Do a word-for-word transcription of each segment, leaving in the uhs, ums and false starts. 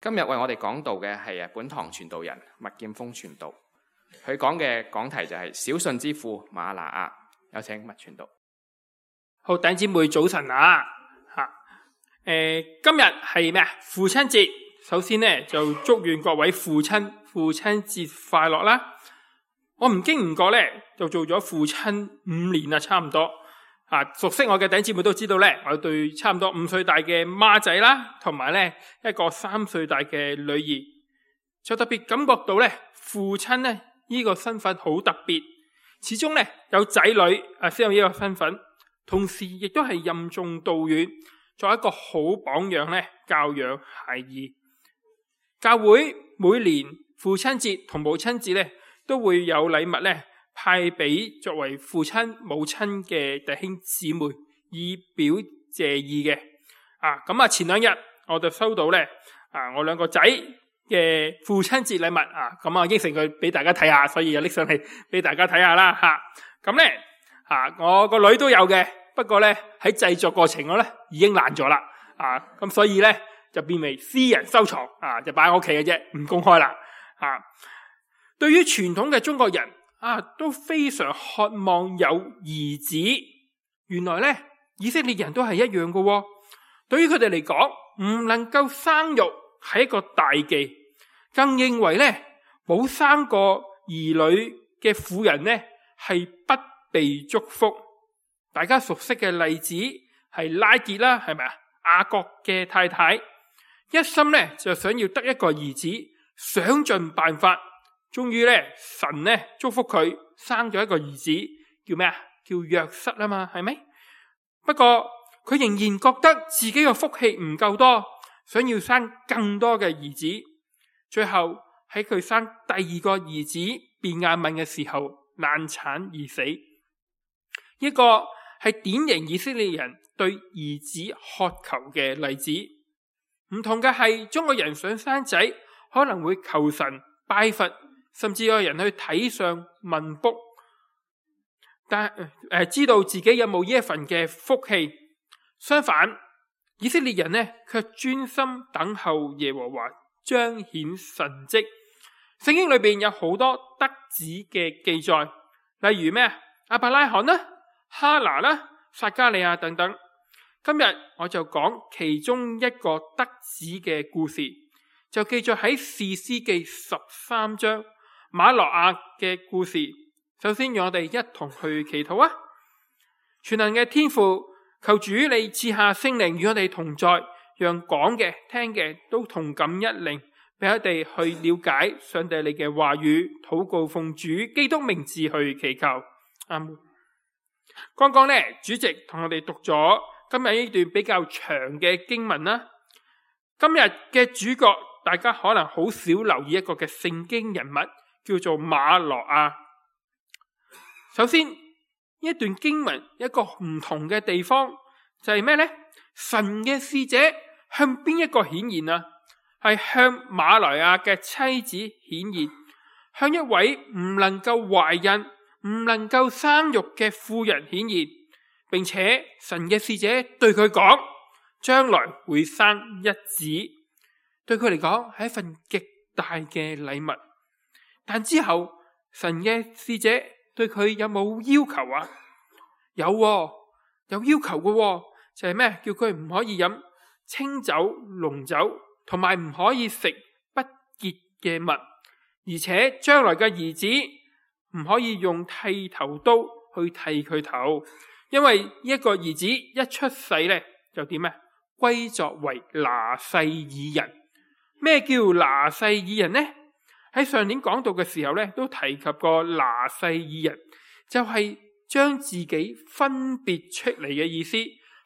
今日為我哋講道嘅係本堂傳道人麥劍鋒傳道，佢講嘅講題就係小信之父馬拿亞。有請麥傳道。好，弟兄姊妹早晨啊！吓，誒，今日係咩啊？父親節。首先呢，就祝願各位父親父親節快樂啦！我唔經唔覺咧，就做咗父親五年啦，差唔多。啊，熟悉我嘅弟兄姊妹都知道咧，我對差唔多五歲大嘅孖仔啦，同埋咧一個三歲大嘅女兒，就特別感覺到咧，父親咧呢個身份好特別。始終咧有仔女啊，先有呢個身份，同時亦都係任重道遠，作為一個好榜樣咧，教養孩兒。教會每年父親節同母親節咧，都會有禮物咧派俾作為父親母親嘅弟兄姊妹，以表謝意嘅。啊，咁啊前兩日我就收到咧啊我兩個仔嘅父親節禮物啊，咁啊應承佢俾大家睇下，所以就拎上嚟俾大家睇下啦吓。咁咧啊我個女都有嘅，不過咧喺製作過程我咧已經爛咗啦啊，咁所以咧就變為私人收藏啊，就擺喺屋企嘅啫，唔公開啦啊。對於傳統嘅中國人啊，都非常渴望有兒子。原來咧以色列人都係一樣嘅喎。對於佢哋嚟講，唔能夠生育係一個大忌，更認為咧冇生過兒女嘅婦人咧係不被祝福。大家熟悉嘅例子係拉結啦，係咪啊？雅各嘅太太一心咧就想要得一個兒子，想盡辦法，終於咧神咧祝福佢生咗一個兒子，叫咩啊？叫約瑟啊嘛，係咪？不過佢仍然覺得自己嘅福氣唔夠多，想要生更多嘅兒子。最後喺佢生第二個兒子便雅憫嘅時候難產而死。一個係典型以色列人對兒子渴求嘅例子。唔同嘅係，中國人想生仔可能會求神拜佛，甚至有人去睇相問卜，但誒、呃、知道自己有冇呢一份嘅福氣。相反，以色列人呢卻專心等候耶和華彰顯神蹟。聖經裏邊有好多得子嘅記載，例如咩啊？亞伯拉罕啦、哈拿啦、撒迦利亞等等。今日我就講其中一個得子嘅故事，就記載喺士師記十三章馬諾亞嘅故事。首先讓我哋一同去祈禱啊！全能嘅天父，求主你賜下聖靈與我哋同在，讓講嘅聽嘅都同感一靈，俾我哋去了解上帝你嘅話語。禱告奉主基督名字去祈求，阿門。剛剛呢主席同我哋讀咗今日呢段比較長嘅經文啦。今日嘅主角大家可能好少留意一個嘅聖經人物，叫做馬諾亞。首先呢一段經文一個唔同嘅地方就係咩呢？神嘅使者向邊一個顯現啊？係向馬諾亞嘅妻子顯現，向一位唔能夠懷孕唔能夠生育嘅婦人顯現，並且神嘅使者對佢講，將來會生一子。對佢嚟講係一份極大嘅禮物。但之後神嘅使者對佢有冇要求啊？有喎，有要求嘅喎，就係咩？叫佢唔可以飲清酒、濃酒，同埋唔可以食不潔嘅物，而且將來嘅兒子唔可以用剃頭刀去剃佢頭，因為一個兒子一出世咧就點啊？歸作為拿細耳人。咩叫拿細耳人呢？喺上年講道嘅時候咧，都提及過拿細耳人，就係將自己分別出嚟嘅意思，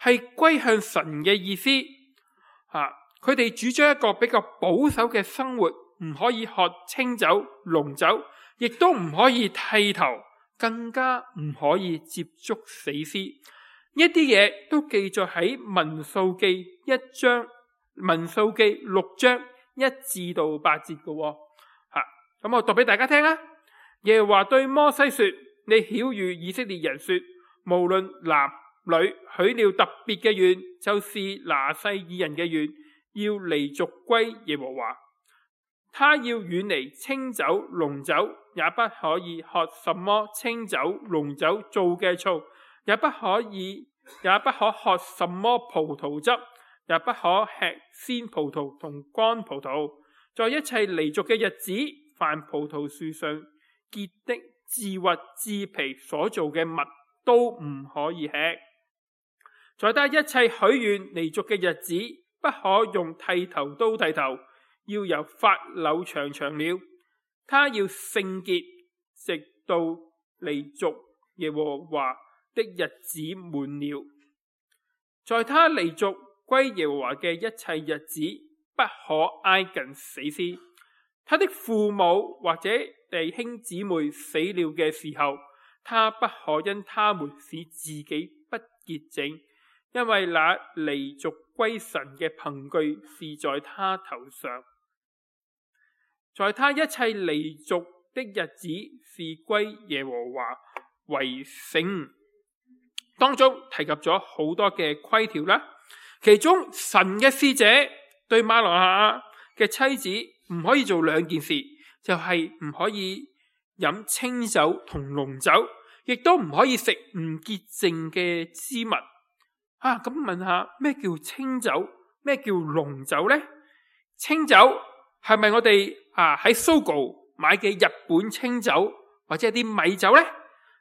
係歸向神嘅意思。啊，佢哋主張一個比較保守嘅生活，唔可以喝清酒、濃酒，亦都唔可以剃頭，更加唔可以接觸死屍。呢啲嘢都記載喺民數記一章、民數記六章一至到八節嘅。吓，咁我讀俾大家聽啦。耶和華對摩西說：你曉諭以色列人說，無論男女，許了特別嘅願，就是拿細耳人嘅願，要離俗歸耶和華。他要遠離清酒、濃酒，也不可以喝什麼清酒、濃酒做嘅醋，也不可以，也不可喝什麼葡萄汁，也不可吃鮮葡萄同乾葡萄。在一切離俗嘅日子，凡葡萄樹上結的自核自皮所做嘅物，都唔可以吃。在他一切許願離俗嘅日子，不可用剃頭刀剃頭，要由法柳長長了。他要聖潔，直到離俗耶和華的日子滿了。在他離俗歸耶和華嘅一切日子，不可挨近死屍。他的父母或者弟兄姊妹死了嘅時候，他不可因他們使自己不潔淨，因為那離俗歸神嘅憑據是在他頭上。在他一切離俗的日子，是歸耶和華為聖。當中提及咗好多嘅規條啦，其中神嘅使者對瑪挪亞嘅妻子唔可以做兩件事，就係、是、唔可以飲清酒同濃酒，亦都唔可以食唔潔淨嘅之物。啊，咁問下咩叫清酒，咩叫濃酒呢？清酒係咪我哋啊喺 Sogo 買嘅日本清酒或者係啲米酒呢？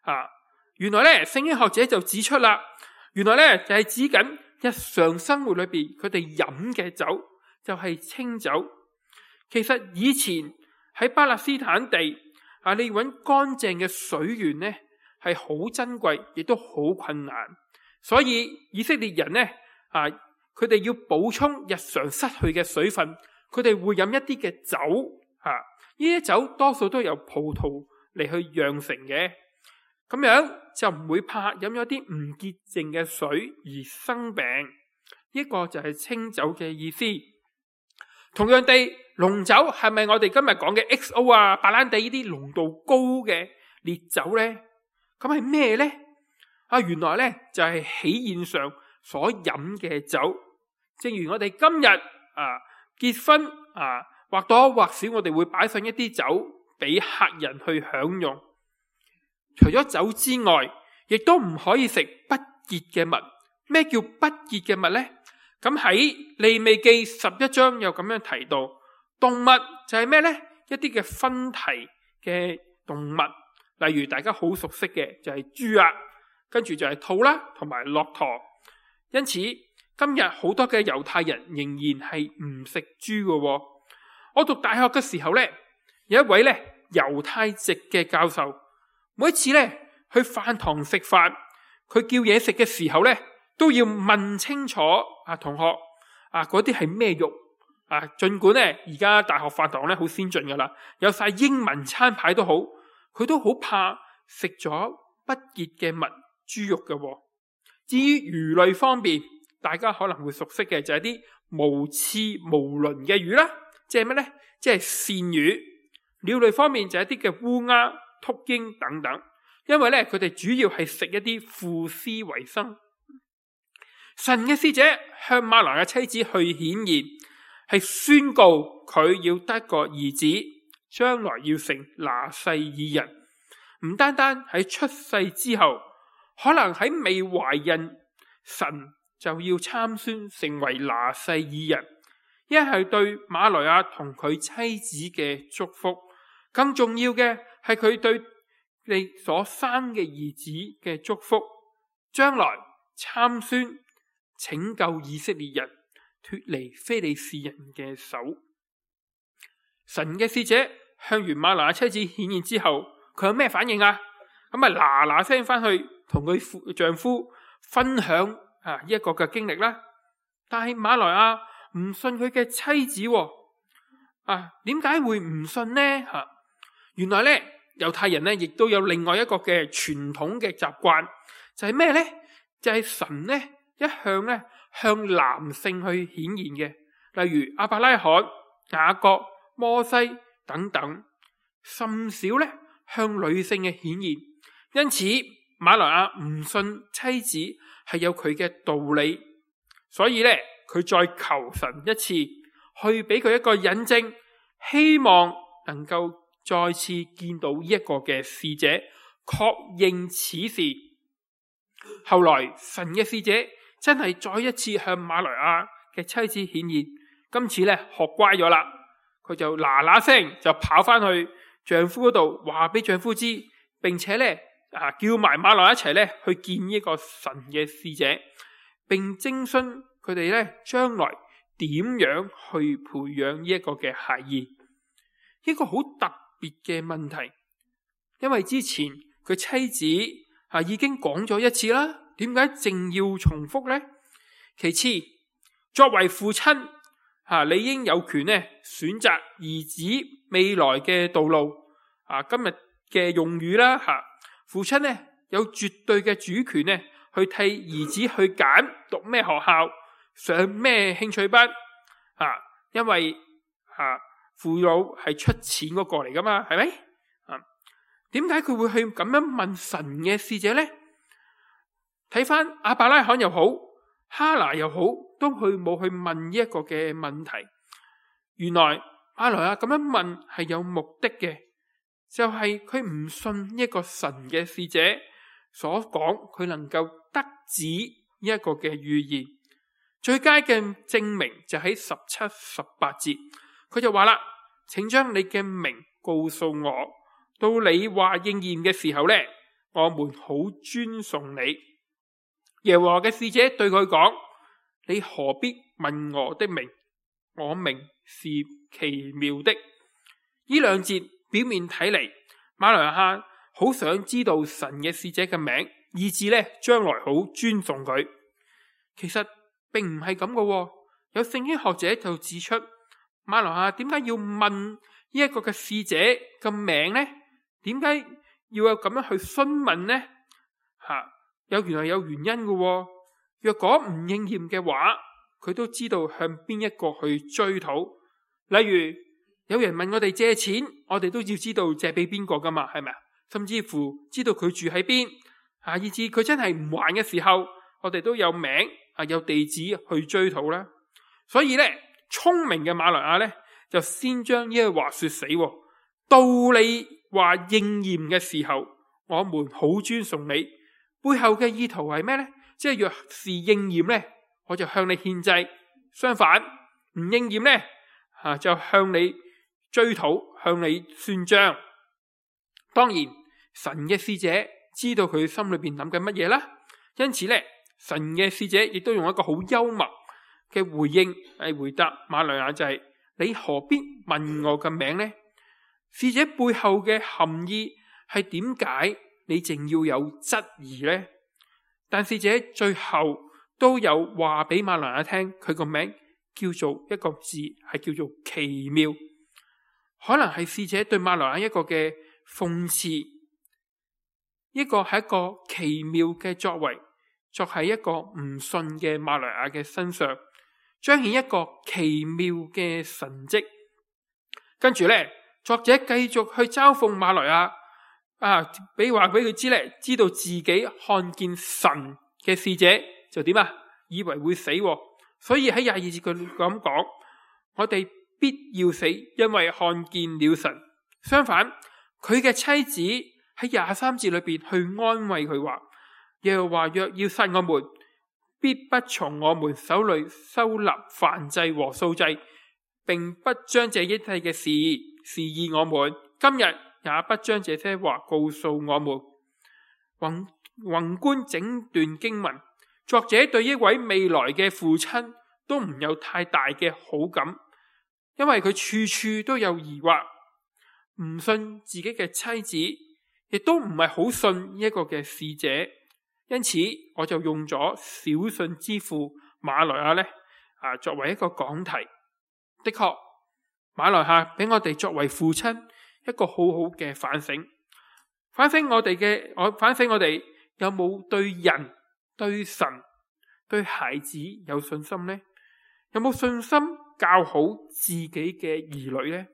啊，原來咧聖經學者就指出啦，原來咧就係指緊日常生活裏邊佢哋飲嘅酒就係清酒。其實以前喺巴勒斯坦地啊，你揾乾淨嘅水源呢係好珍貴，亦都好困難。所以以色列人呢啊，佢哋要補充日常失去嘅水分，佢哋會飲一啲嘅酒啊，呢啲酒多數都由葡萄嚟去釀成嘅，咁樣就唔會怕飲咗啲唔潔淨嘅水而生病。呢個就係清酒嘅意思。同樣地，濃酒係咪我哋今日講嘅 X O 啊、白蘭地呢啲濃度高嘅烈酒呢？咁係咩呢？啊，原來呢就係喜宴上所飲嘅酒。正如我哋今日啊結婚啊，或多或少我哋會擺上一啲酒俾客人去享用。除咗酒之外，亦都唔可以食不潔嘅物。咩叫不潔嘅物呢？咁喺利未記十一章又咁樣提到，動物就係咩呢？一啲嘅分蹄嘅動物，例如大家好熟悉嘅就係豬啊，跟住就係兔啦，同埋駱駝。因此今日好多嘅猶太人仍然係唔食豬嘅。我讀大學嘅時候呢，有一位呢猶太籍嘅教授，每一次呢去飯堂食飯，佢叫嘢食嘅時候呢，都要問清楚啊，同學啊，嗰啲係咩肉啊？盡管咧而家大學飯堂咧好先進噶啦，有晒英文餐牌都好，佢都好怕食咗不潔嘅物豬肉嘅。至於魚類方面，大家可能會熟悉嘅就係啲無翅無鱗嘅魚啦，即係咩咧？即係鱔魚。鳥類方面就係一啲嘅烏鴉、禿鷹等等，因為咧佢哋主要係食一啲腐屍為生。神嘅使者向瑪挪亞妻子去顯現，係宣告佢要得個兒子，將來要成拿細耳人。唔單單喺出世之後，可能喺未懷孕，神就要參孫成為拿細耳人。一係對瑪挪亞同佢妻子嘅祝福，更重要嘅係佢對你所生嘅兒子嘅祝福。將來參孫拯救以色列人脫離非利士人嘅手。神嘅使者向完瑪挪亞妻子顯現之後，佢有咩反應啊？咁啊嗱嗱聲翻去同佢丈夫分享啊一個嘅經歷啦。但係瑪挪亞唔信佢嘅妻子，啊點解會唔信呢？吓、啊，原來咧猶太人咧亦都有另外一個嘅傳統嘅習慣，就係咩咧？就係、是、神咧。一向咧向男性去顯現嘅，例如亞伯拉罕、雅各、摩西等等，甚少咧向女性嘅顯現。因此瑪挪亞唔信妻子係有佢嘅道理，所以咧佢再求神一次，去俾佢一個引證，希望能夠再次見到呢一個嘅使者，確認此事。後來神嘅使者真係再一次向馬來亞嘅妻子顯現，今次咧學乖咗啦，佢就嗱嗱聲就跑翻去丈夫嗰度，話俾丈夫知，並且咧啊叫埋馬來一齊咧去見呢個神嘅使者，並徵詢佢哋咧將來點樣去培養呢一個嘅孩兒。一個好特別嘅問題，因為之前佢妻子啊已經講咗一次啦，點解淨要重複呢？其次，作為父親啊，你應有權咧選擇兒子未來嘅道路啊。今日嘅用語啦吓，父親咧有絕對嘅主權咧去替兒子去揀讀咩學校，上咩興趣班啊，因為啊父母係出錢嗰個嚟噶嘛，係咪啊？點解佢會去咁樣問神嘅使者呢？睇翻亞伯拉罕又好，哈拿又好，都去冇去問呢一個嘅問題。原來馬來亞咁樣問係有目的嘅，就係佢唔信一個神嘅使者所講，佢能夠得指呢一個嘅預言。最佳嘅證明就喺十七、十八節，佢就話啦：請將你嘅名告訴我，到你話應驗嘅時候呢，我們好尊崇你。耶和華嘅使者對佢講：你何必問我的名？我名是奇妙的。呢兩節表面睇嚟，馬來亞好想知道神嘅使者嘅名，以致呢將來好尊重佢。其實並唔係咁嘅，有聖經學者就指出，馬來亞點解要問呢一個嘅使者嘅名呢？點解要有咁樣去詢問呢？吓，有原來有原因嘅。若果唔應驗嘅話，佢都知道向邊一個去追討。例如有人問我哋借錢，我哋都要知道借俾邊個噶嘛，係咪啊？甚至乎知道佢住喺邊，啊，以至佢真係唔還嘅時候，我哋都有名啊，有地址去追討啦。所以咧，聰明嘅馬來亞咧就先將呢句話說死，到你話應驗嘅時候，我們好尊崇你。背後嘅意圖係咩呢？即係若是應驗呢，我就向你獻祭；相反唔應驗呢，啊，就向你追討，向你算賬。當然，神嘅使者知道佢心裏邊諗緊乜嘢啦，因此呢，神嘅使者亦都用一個好幽默嘅回應嚟回答馬來亞，就係、是、你何必問我嘅名呢？使者背後嘅含義係點解你淨要有質疑呢？但使者最後都有話俾馬來亞聽，佢個名叫做一個字，係叫做奇妙。可能係使者對馬來亞一個嘅諷刺，一個係一個奇妙嘅作為，作喺一個唔信嘅馬來亞嘅身上，彰顯一個奇妙嘅神蹟。跟住呢，作者繼續去嘲諷馬來亞。啊！俾話俾佢知咧，知道自己看見神嘅使者就點啊？以為會死，所以喺廿二節佢咁講：我哋必要死，因為看見了神。相反，佢嘅妻子喺廿三節裏邊去安慰佢話：耶和華若要殺我們，必不從我們手裏收納燔祭和素祭，並不將這一切嘅事示意我們。今日也不將這些話告訴我們。宏宏觀整段經文，作者對一位未來嘅父親都唔有太大嘅好感，因為佢處處都有疑惑，唔信自己嘅妻子，亦都唔係好信呢一個嘅使者。因此，我就用咗小信之父馬來亞呢啊作為一個講題。的確，馬來亞俾我哋作為父親一個好好嘅反省，反省我哋嘅，我反省我哋有冇對人、對神、對孩子有信心呢？有冇信心教好自己嘅兒女呢？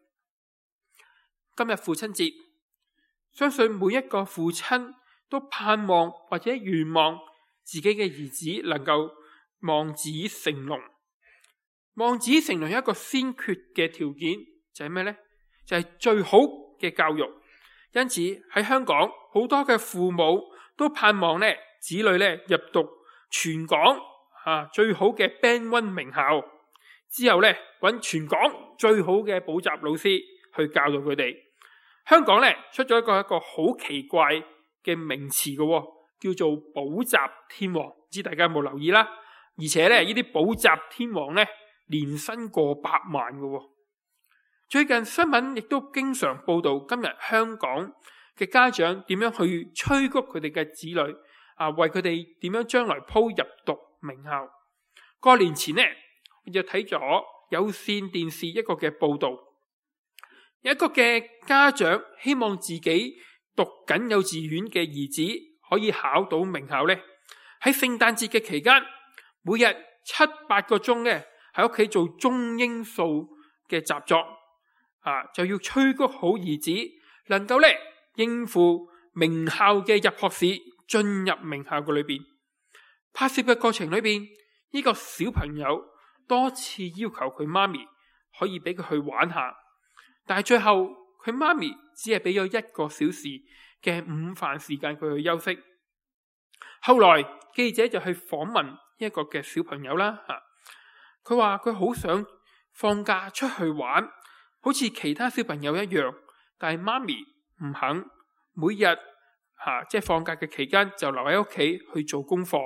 今日父親節，相信每一個父親都盼望或者願望自己嘅兒子能夠望子成龍，望子成龍有一個先決嘅條件，就係咩呢？就係最好嘅教育。因此喺香港好多嘅父母都盼望咧子女咧入讀全港啊最好嘅 Band One 名校，之後咧揾全港最好嘅補習老師去教導佢哋。香港咧出咗一個一個好奇怪嘅名詞嘅，叫做補習天王，唔知大家有冇留意啦？而且咧呢啲補習天王咧年薪過百萬嘅。最近新聞亦都經常報道今日香港嘅家長點樣去催谷佢哋嘅子女啊，為佢哋點樣將來鋪入讀名校。過年前呢，我就睇咗有線電視一個嘅報道，一個嘅家長希望自己讀緊幼稚園嘅兒子可以考到名校呢，喺聖誕節嘅期間，每日七八個鐘呢喺屋企做中英數嘅習作。啊，就要催谷好兒子，能夠咧應付名校嘅入學試，進入名校嘅裏邊。拍攝嘅過程裏邊，呢個小朋友多次要求佢媽咪可以俾佢去玩下，但係最後佢媽咪只係俾咗一個小時嘅午飯時間佢去休息。後來記者就去訪問一個嘅小朋友啦，吓，佢話佢好想放假出去玩。好似其他小朋友一樣，但係媽咪唔肯，每日吓即係放假嘅期間就留喺屋企去做功課。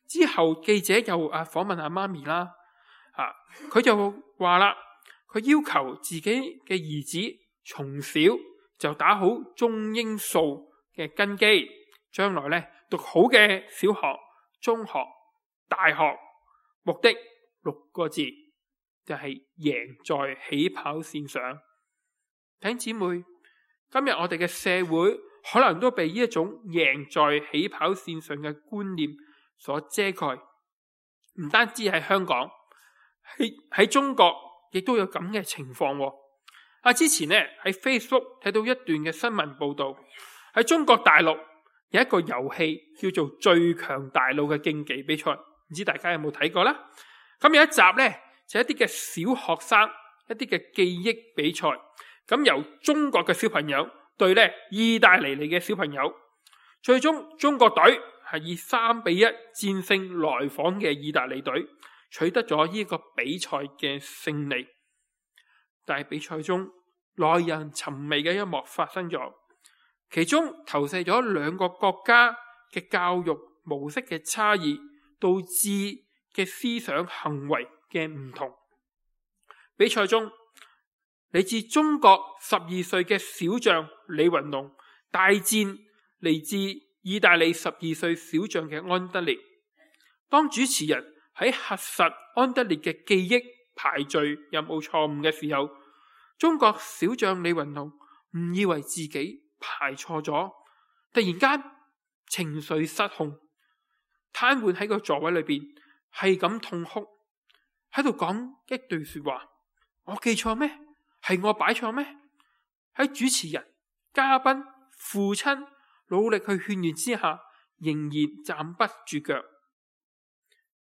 之後記者又啊訪問下媽咪啦，吓佢就話啦，佢要求自己嘅兒子從小就打好中英數嘅根基，將來咧讀好嘅小學、中學、大學，目的六個字。就係贏在起跑線上。弟兄姊妹，今日我哋嘅社會可能都被呢一種贏在起跑線上嘅觀念所遮蓋，唔單止喺香港，喺喺中國亦都有咁嘅情況。啊，之前呢喺 Facebook 睇到一段嘅新聞報道，喺中國大陸有一個遊戲叫做最強大腦嘅競技比賽，唔知大家有冇睇過啦？咁有一集呢，就一啲嘅小學生一啲嘅記憶比賽，咁由中國嘅小朋友對咧意大利嚟嘅小朋友，最終中國隊係以三比一戰勝來訪嘅意大利隊，取得咗呢個比賽嘅勝利。但係比賽中耐人尋味嘅一幕發生咗，其中投射咗兩個國家嘅教育模式嘅差異，導致嘅思想行為嘅唔同。比賽中，嚟自中國十二歲嘅小將李雲龍大戰嚟自意大利十二歲小將嘅安德烈。當主持人喺核實安德烈嘅記憶排序有冇錯誤嘅時候，中國小將李雲龍誤以為自己排錯咗，突然間情緒失控，癱瘓喺個座位裏邊，係咁痛哭，喺度講一句說話：我記錯咩？係我擺錯咩？喺主持人、嘉賓、父親努力去勸喻之下，仍然站不住腳。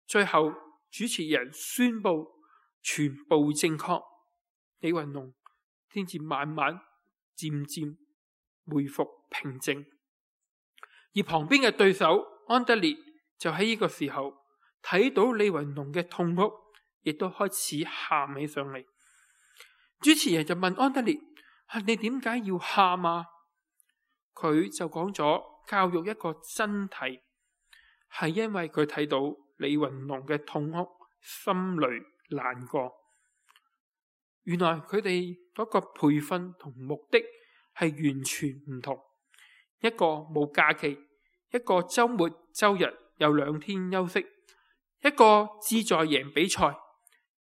最後主持人宣布全部正確，李雲龍先至慢慢漸漸恢復平靜。而旁邊嘅對手安德烈就喺呢個時候睇到李雲龍嘅痛哭，亦都開始喊起上嚟。主持人就問安德烈：啊，你點解要喊啊？佢就講咗教育一個真諦，係因為佢睇到李雲龍嘅痛哭，心裏難過。原來佢哋嗰個培訓同目的係完全唔同，一個冇假期，一個周末周日有兩天休息，一個志在贏比賽，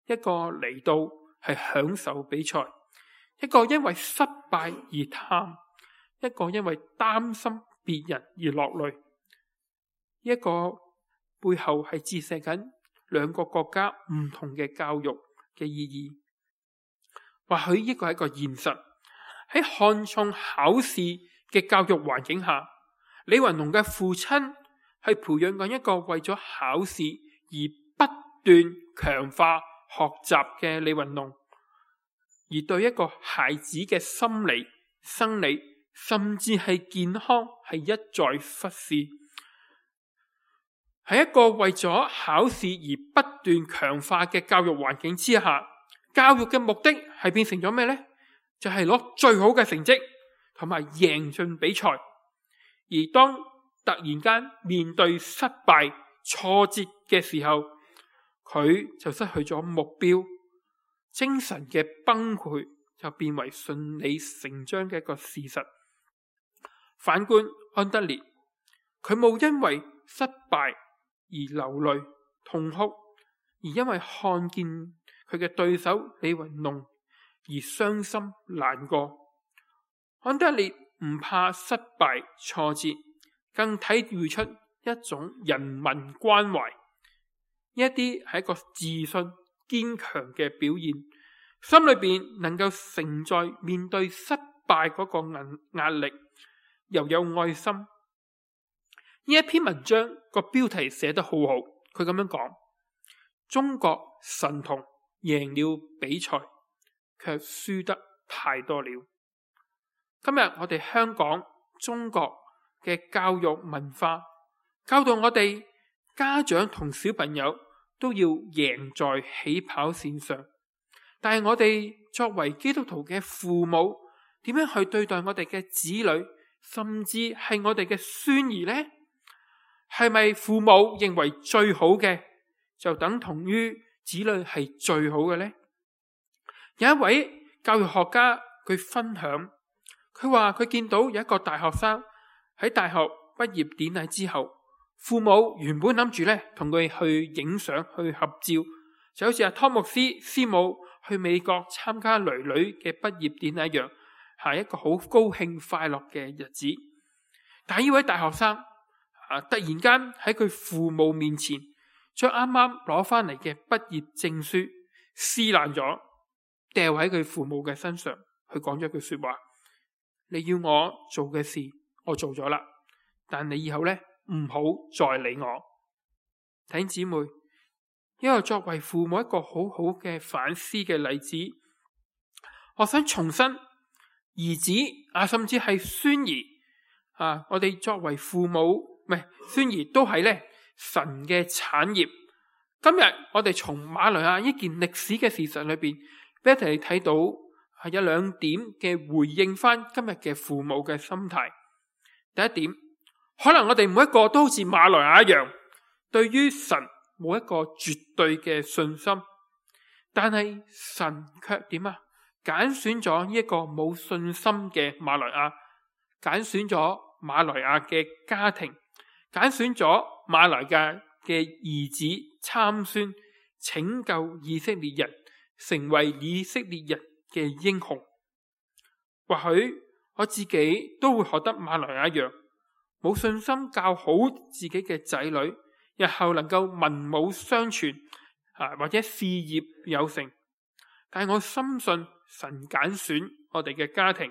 一個嚟到係享受比賽，一個因為失敗而嘆，一個因為擔心別人而落淚，一個背後係折射緊兩個國家唔同嘅教育嘅意義。或許呢個係一個現實，喺看重考試嘅教育環境下，李雲龍嘅父親係培養緊一個為咗考試而不斷強化學習嘅李雲龍，而對一個孩子嘅心理、生理，甚至係健康係一再忽視。喺一個為咗考試而不斷強化嘅教育環境之下，教育嘅目的係變成咗咩呢？就係攞最好嘅成績同埋贏盡比賽。而當突然間面對失敗、挫折嘅時候，佢就失去咗目標，精神嘅崩潰就變為順理成章嘅一個事實。反觀安德烈，佢冇因為失敗而流淚痛哭，而因為看見佢嘅對手李雲龍而傷心難過。安德烈唔怕失敗挫折，更體會出一種人民關懷，呢一啲係一個自信堅強嘅表現，心裏邊能夠承載面對失敗嗰個壓力，又有愛心。呢一篇文章個標題寫得好好，佢咁樣講：中國神童贏了比賽，卻輸得太多了。今日我哋香港、中國嘅教育文化，教導我哋家長同小朋友都要贏在起跑線上。但係我哋作為基督徒嘅父母，點樣去對待我哋嘅子女，甚至係我哋嘅孫兒呢？係咪父母認為最好嘅就等同於子女係最好嘅呢？有一位教育學家佢分享，佢話佢見到有一個大學生喺大學畢業典禮之後，父母原本諗住咧同佢去影相去合照，就好似阿湯牧師師母去美國參加囡囡嘅畢業典禮一樣，係一個好高興快樂嘅日子。但係呢位大學生啊，突然間喺佢父母面前將啱啱攞翻嚟嘅畢業證書撕爛咗，掉喺佢父母嘅身上。佢講咗句說話：你要我做嘅事我做咗啦，但你以後咧唔好再理我。弟兄姊妹，因為作為父母一個好好嘅反思嘅例子，我想重申兒子啊，甚至係孫兒啊，我哋作為父母唔係孫兒都係咧神嘅產業。今日我哋從馬來亞呢件歷史嘅事實裏邊，俾一齊睇到係有兩點嘅回應翻今日嘅父母嘅心態。第一點，可能我哋每一個都好似馬來亞一樣，對於神冇一個絕對嘅信心，但係神卻點啊？揀選咗呢一個冇信心嘅馬來亞，揀選咗馬來亞嘅家庭，揀選咗馬來亞嘅兒子參孫，拯救以色列人，成為以色列人嘅英雄。或許我自己都會學得馬來亞一樣，冇信心教好自己嘅仔女，日後能夠文武雙全啊，或者事業有成。但係我深信神揀選我哋嘅家庭，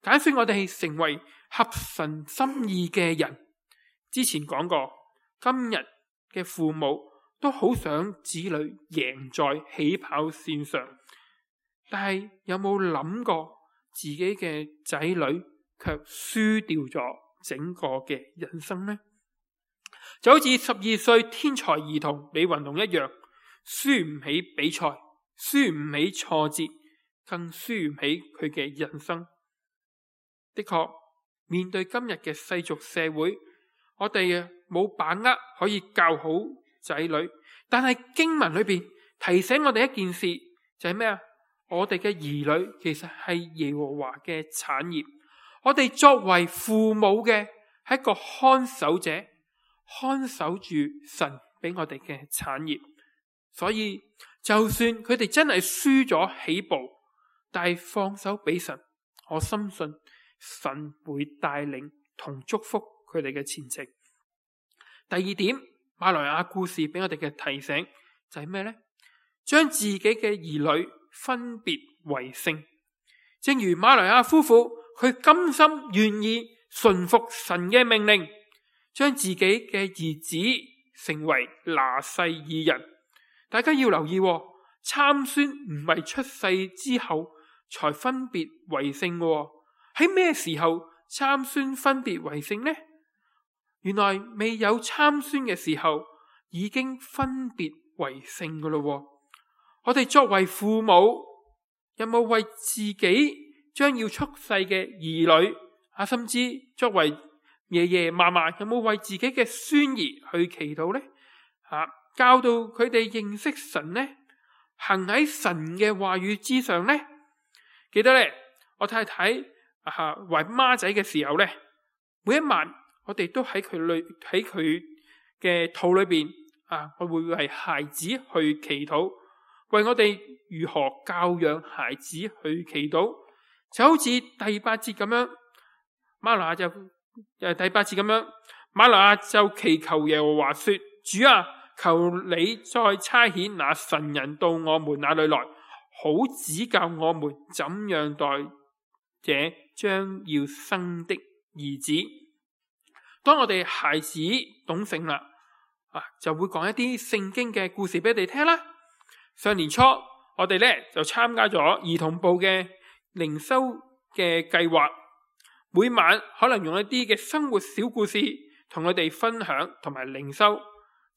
揀選我哋成為合神心意嘅人。之前講過，今日嘅父母都好想子女贏在起跑線上，但係有冇諗過自己嘅仔女卻輸掉咗整個嘅人生呢？就好似十二歲天才兒童李雲龍一樣，輸唔起比賽，輸唔起挫折，更輸唔起佢嘅人生。的確，面對今日嘅世俗社會，我哋冇把握可以教好仔女，但係經文裏邊提醒我哋一件事，就係咩啊？我哋嘅兒女其實係耶和華嘅產業，我哋作為父母嘅係一個看守者，看守住神俾我哋嘅產業。所以就算佢哋真係輸咗起步，但係放手俾神，我深信神會帶領同祝福佢哋嘅前程。第二點，馬來亞故事俾我哋嘅提醒就係咩呢？將自己嘅兒女分別為聖，正如馬來亞夫婦，佢甘心願意順服神嘅命令，將自己嘅兒子成為拿細耳人。大家要留意，參孫唔係出世之後才分別為聖嘅，喺咩時候參孫分別為聖呢？原來未有參孫嘅時候已經分別為聖嘅咯。我哋作為父母，有冇為自己將要出世嘅兒女啊，甚至作為爺爺嫲嫲，有冇為自己嘅孫兒去祈禱呢？啊，教導佢哋認識神呢，行喺神嘅話語之上呢？記得咧，我太太啊懷孖仔嘅時候咧，每一晚我哋都喺佢裏喺佢嘅肚裏邊啊，我會為孩子去祈禱，為我哋如何教養孩子去祈禱，就好似第八節咁樣，瑪挪亞就誒第八節咁樣，瑪挪亞就祈求耶和華說：主啊，求你再差遣那神人到我們那裏來，好指教我們怎樣待這將要生的兒子。當我哋孩子懂性啦，啊，就會講一啲聖經嘅故事俾你哋聽啦。上年初我哋咧就參加咗兒童部嘅靈修嘅計劃，每晚可能用一啲嘅生活小故事同佢哋分享同埋靈修，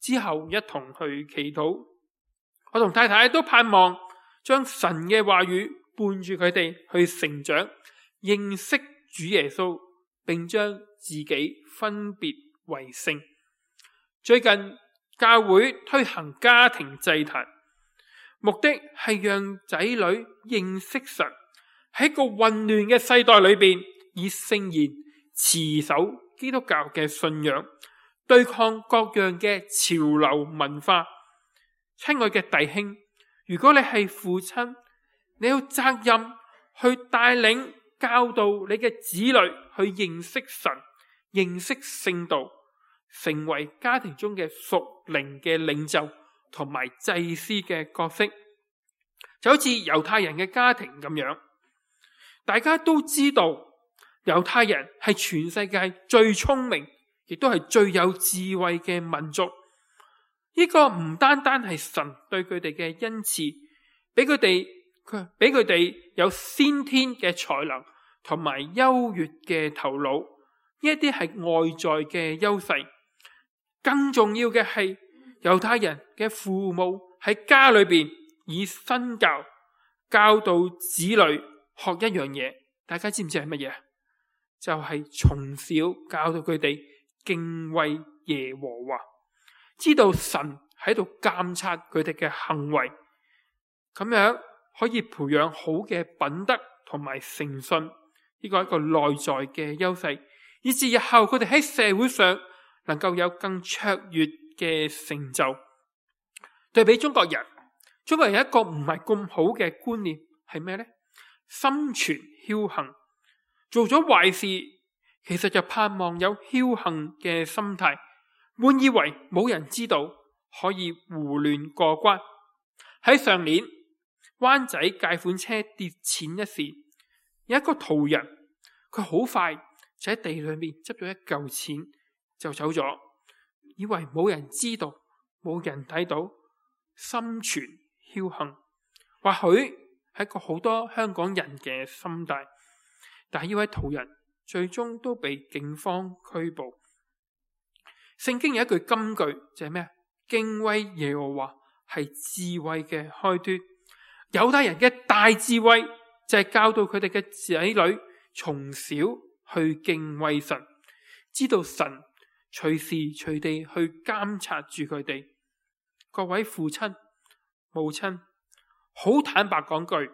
之後一同去祈禱。我同太太都盼望將神嘅話語伴住佢哋去成長，認識主耶穌，並將自己分別為聖。最近教會推行家庭祭壇，目的係讓仔女認識神，喺個混亂嘅世代裏邊，以聖言持守基督教嘅信仰，對抗各樣嘅潮流文化。親愛嘅弟兄，如果你係父親，你有責任去帶領教導你嘅子女去認識神，認識聖道，成為家庭中嘅屬靈嘅領袖同埋祭司嘅角色。就好似猶太人嘅家庭咁樣，大家都知道猶太人係全世界最聰明亦都係最有智慧嘅民族。呢個唔單單係神對佢哋嘅恩賜，俾佢哋佢俾佢哋有先天嘅才能同埋優越嘅頭腦，呢一啲係外在嘅優勢。更重要嘅係猶太人嘅父母喺家裏邊以身教教導子女學一樣嘢，大家知唔知係乜嘢？就係從小教導佢哋敬畏耶和華，知道神喺度監察佢哋嘅行為，咁樣可以培養好嘅品德同埋誠信，呢個係一個內在嘅優勢，以至日後佢哋喺社會上能夠有更卓越嘅成就。對比中國人，中國人有一個唔係咁好嘅觀念係咩呢？心存僥倖，做咗壞事其實就盼望有僥倖嘅心態，滿以為冇人知道，可以胡亂過關。喺上年灣仔借款車跌錢一事，有一個途人，佢好快就喺地裏面執咗一嚿錢就走咗，以為冇人知道，冇人睇到，心存僥倖。或許係一個好多香港人嘅心態，但係呢位途人最終都被警方拘捕。聖經有一句金句就係咩？敬畏耶和華係智慧嘅開端。猶太人嘅大智慧就係教導佢哋嘅仔女從小去敬畏神，知道神隨時隨地去監察住佢哋。各位父親母親，好坦白講句，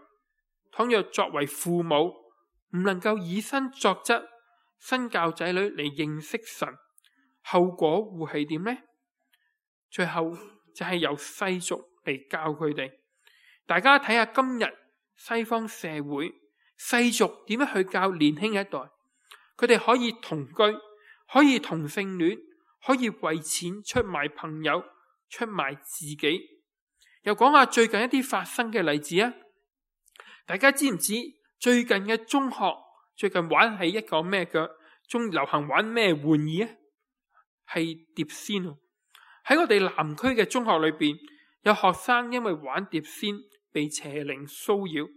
倘若作為父母唔能夠以身作則，身教仔女嚟認識神，後果會係點呢？最後就係由世俗嚟教佢哋。大家睇下今日西方社會世俗點樣去教年輕一代，佢哋可以同居，可以同性戀，可以為錢出賣朋友，出賣自己。又講下最近一啲發生嘅例子啊！大家知唔知最近嘅中學最近玩係一個咩嘅？中流行玩咩玩意啊？係碟仙。喺我哋南區嘅中學裏邊，有學生因為玩碟仙被邪靈騷擾。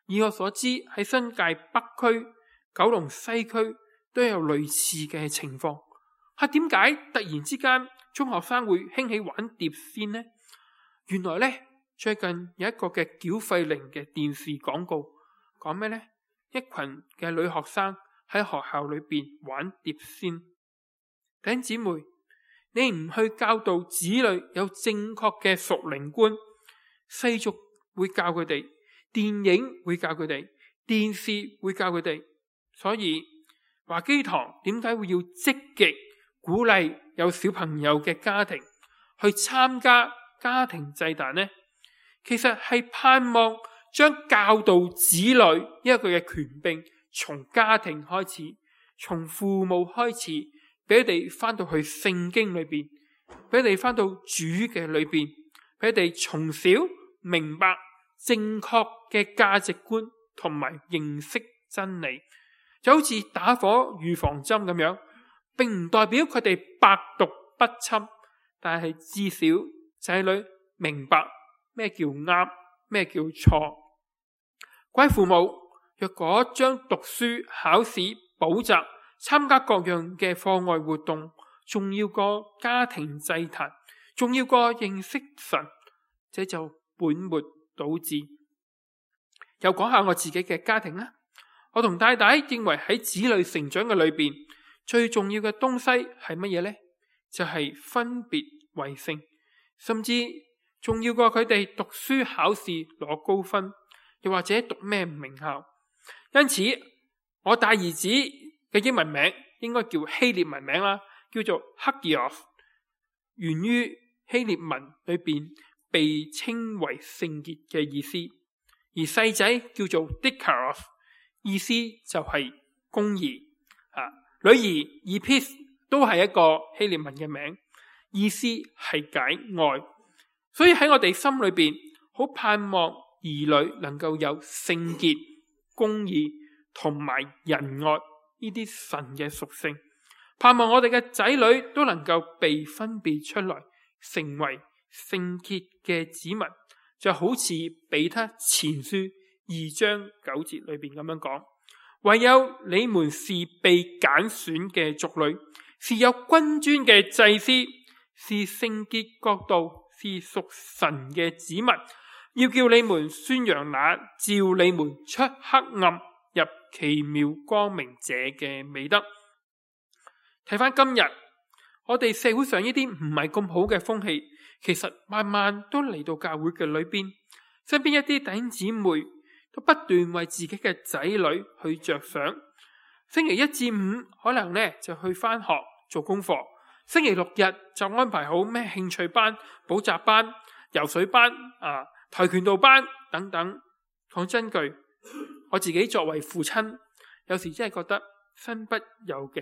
以我所知，喺新界北區、九龍西區都有類似嘅情況。係點解突然之間中學生會興起玩碟仙呢？原來呢，最近有一個嘅繳費靈嘅電視廣告，講咩呢？一群嘅女學生喺學校裏邊玩碟仙。弟兄姊妹，你唔去教導子女有正確嘅屬靈觀，世俗會教佢哋，電影會教佢哋，電視會教佢哋。所以華基堂點解會要積極鼓勵有小朋友嘅家庭去參加家庭祭壇呢？其實係盼望將教導子女呢一個嘅權柄從家庭開始，從父母開始，俾佢哋翻到去聖經裏邊，俾佢哋翻到主嘅裏邊，俾佢哋從小明白正確嘅價值觀同埋認識真理。就好似打火預防針咁樣，並唔代表佢哋百毒不侵，但係至少仔女明白咩叫啱，咩叫錯。各位父母，若果將讀書、考試、補習、參加各樣嘅課外活動重要過家庭祭壇，重要過認識神，這就本末倒置。又講下我自己嘅家庭啦。我同太太認為喺子女成長嘅裏邊，最重要嘅東西係乜嘢呢？就係分別為聖，甚至重要過佢哋讀書考試攞高分，又或者讀咩名校。因此，我大兒子嘅英文名應該叫希臘文名啦，叫做 Hagios， 源於希臘文裏邊被稱為聖潔嘅意思。而細仔叫做 Dikaros， 意思就係公義。啊，女兒 Epis 都係一個希臘文嘅名，意思係解愛。所以喺我哋心裏邊，好盼望兒女能夠有聖潔、公義同埋仁愛呢啲神嘅屬性，盼望我哋嘅仔女都能夠被分別出來，成為聖潔嘅子民。就好似彼得前書二章九節裏邊咁樣講，唯有你們是被揀選嘅族類，是有君尊嘅祭司，是聖潔國度，是屬神嘅子民，要叫你們宣揚那召你們出黑暗入奇妙光明者嘅美德。睇翻今日我哋社會上呢啲唔係咁好嘅風氣，其實慢慢都嚟到教會嘅裏邊，身邊一啲弟兄姊妹都不斷為自己嘅仔女去着想。星期一至五可能呢就去翻學做功課，星期六日就安排好咩興趣班、補習班、游水班、啊跆拳道班等等。講真句，我自己作為父親，有時真係覺得身不由己，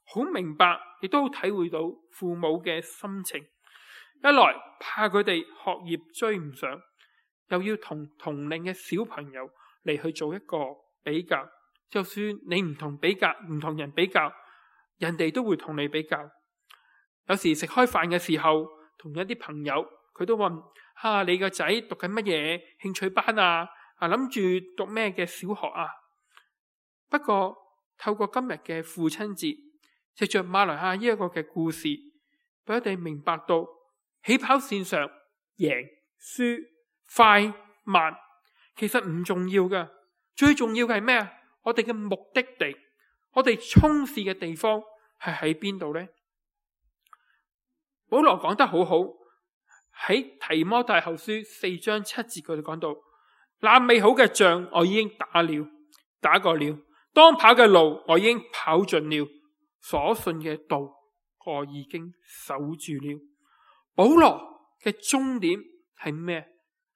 好明白亦都好體會到父母嘅心情。一來怕佢哋學業追唔上，又要同同齡嘅小朋友嚟去做一個比較。就算你唔同比較，唔同人比較，人哋都會同你比較。有時食開飯嘅時候，同一啲朋友，佢都問：啊，你個仔讀緊乜嘢興趣班啊？啊，諗住讀咩嘅小學啊？不過透過今日嘅父親節，藉着馬來亞呢一個嘅故事，俾我哋明白到起跑線上贏輸快慢其實唔重要噶，最重要嘅係咩啊？我哋嘅目的地，我哋衝刺嘅地方係喺邊度呢？保羅講得好好，喺提摩太後書四章七節佢哋講到：那美好嘅仗我已經打了，打過了，當跑嘅路我已經跑盡了，所信嘅道我已經守住了。保羅嘅終點係咩？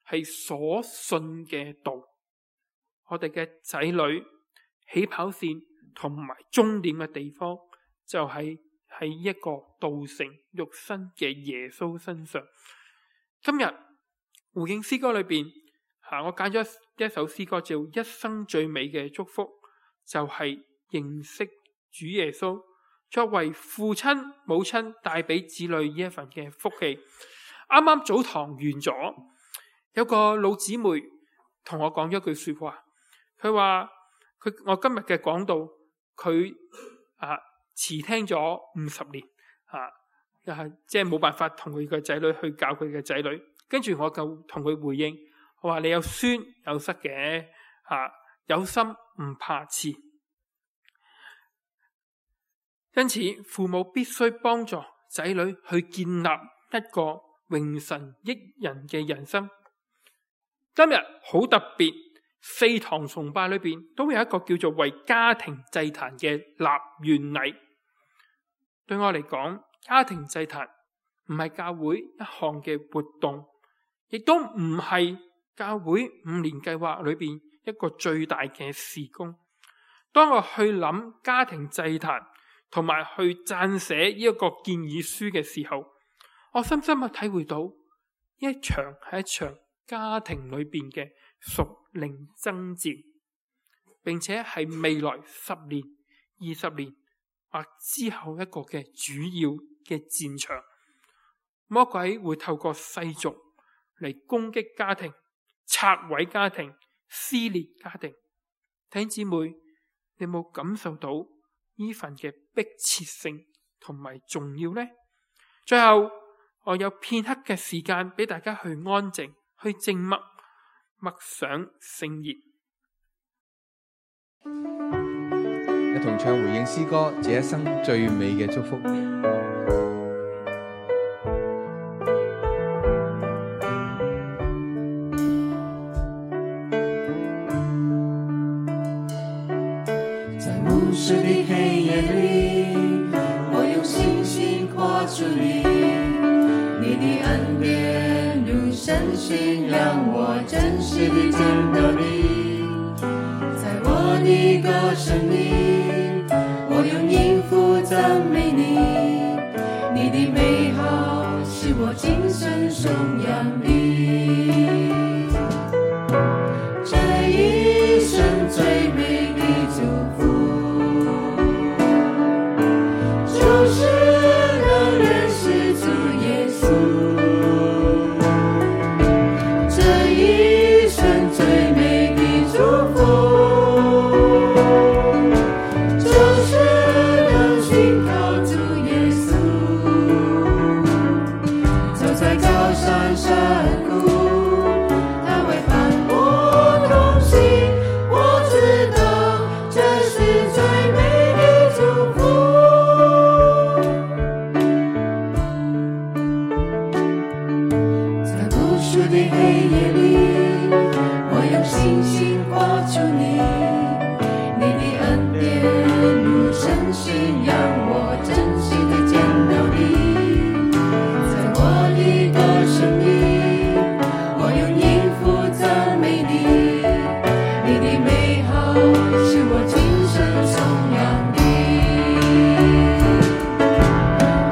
係所信嘅道。我哋嘅仔女起跑線同埋終點嘅地方就係喺一個道成肉身嘅耶穌身上。今日回應詩歌裏邊，我揀咗一首詩歌叫《一生最美嘅祝福》，就係認識主耶穌，作為父親母親帶俾子女呢一份嘅福氣。啱啱早堂完咗，有個老姊妹同我講咗句說話，佢話佢我今日嘅講道，佢啊遲聽咗五十年啊，又係即係冇辦法同佢嘅仔女去教佢嘅仔女。跟住我就同佢回應，我話你有孫有失嘅，啊有心唔怕遲。因此父母必須幫助仔女去建立一個榮神益人嘅人生。今日好特別，四堂崇拜裏邊都有一個叫做為家庭祭壇嘅立願禮。對我嚟講，家庭祭壇唔係教會一項嘅活動，亦都唔係教會五年計劃裏邊一個最大嘅事工。當我去諗家庭祭壇同埋去撰寫呢一個建議書嘅時候，我深深嘅體會到呢一場係一場家庭裏邊嘅屬靈爭戰，並且係未來十年、二十年或之後一個嘅主要嘅戰場。魔鬼會透過世俗嚟攻擊家庭、拆毀家庭、撕裂家庭。弟兄姊妹，你有冇感受到呢份嘅迫切性同埋重要呢？最後，我有片刻嘅時間俾大家去安靜、去靜默、默想聖言。一同唱回應詩歌，這一生最美嘅祝福。在暮色的黑夜裏，我用信心跨出你，你的恩典如晨星，讓我真實地見到你。在我的歌聲裏，我用音符讚美你，你的美好使我今生頌揚你。這一生最美的祝福，就是能認識主耶穌。這一生最美的祝福，就是能信靠主耶穌。走在高山山谷，他會伴我同行，我知道這是最美的祝福。在無數的黑夜裏，我用信心跨出你，你的恩典如晨星，讓我真實地見到你。在我的歌聲裏，我用音符讚美你，你的美好使我今生頌揚你。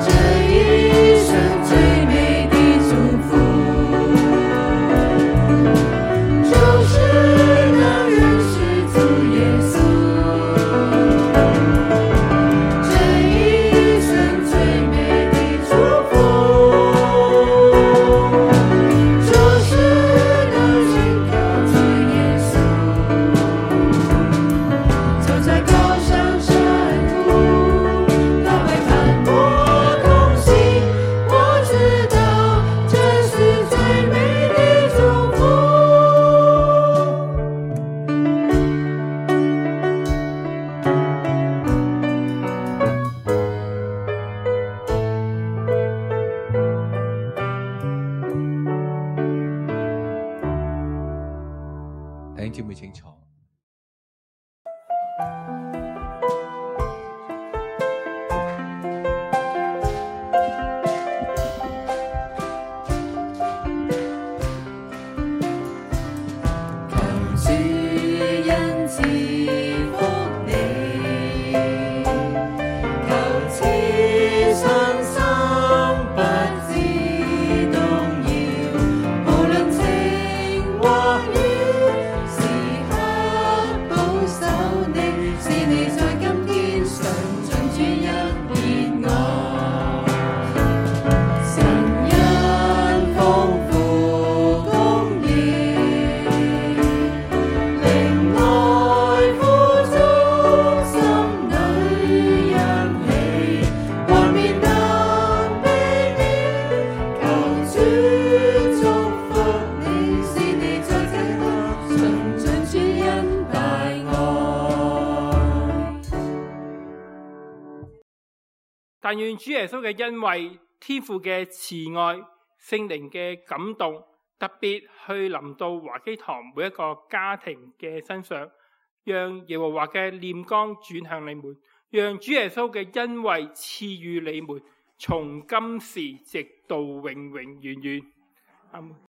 這一生最美的祝福，就是能認識主耶穌。這一生最美的祝福，就是能信靠主耶穌。走在高山山谷，他會伴我同行，我知道這是最美的祝福。弟兄姊妹請坐。求主恩賜福你，求賜信心不致動搖，無論晴或雨，時刻保守你，使你在今天上盡主恩熱愛。神恩但願主耶穌嘅恩惠、天父嘅慈愛、聖靈嘅感動，特別去臨到華基堂每一個家庭嘅身上，讓耶和華嘅臉光轉向你們，讓主耶穌嘅恩惠賜予你們，從今時直到永永遠遠。阿們。